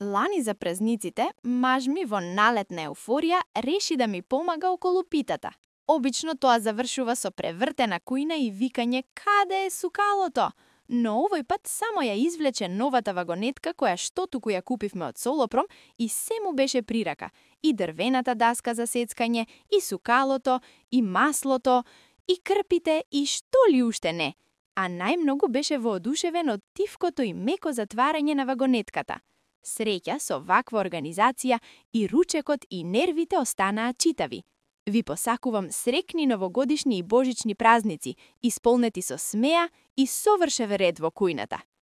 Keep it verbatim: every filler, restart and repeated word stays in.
Лани за празниците, маж ми во налетна еуфорија реши да ми помага околу питата. Обично тоа завршува со превртена кујна и викање каде е сукалото, но овој пат само ја извлече новата вагонетка која што туку ја купивме од Солопром и се му беше при рака. И дрвената даска за сецкање, и сукалото, и маслото, и крпите, и што ли уште не. А најмногу беше воодушевен од тивкото и меко затварање на вагонетката. Среќа со ваква организација и ручекот и нервите останаа читави. Ви посакувам срекни новогодишни и божични празници, исполнети со смеа и совршев ред во кујната.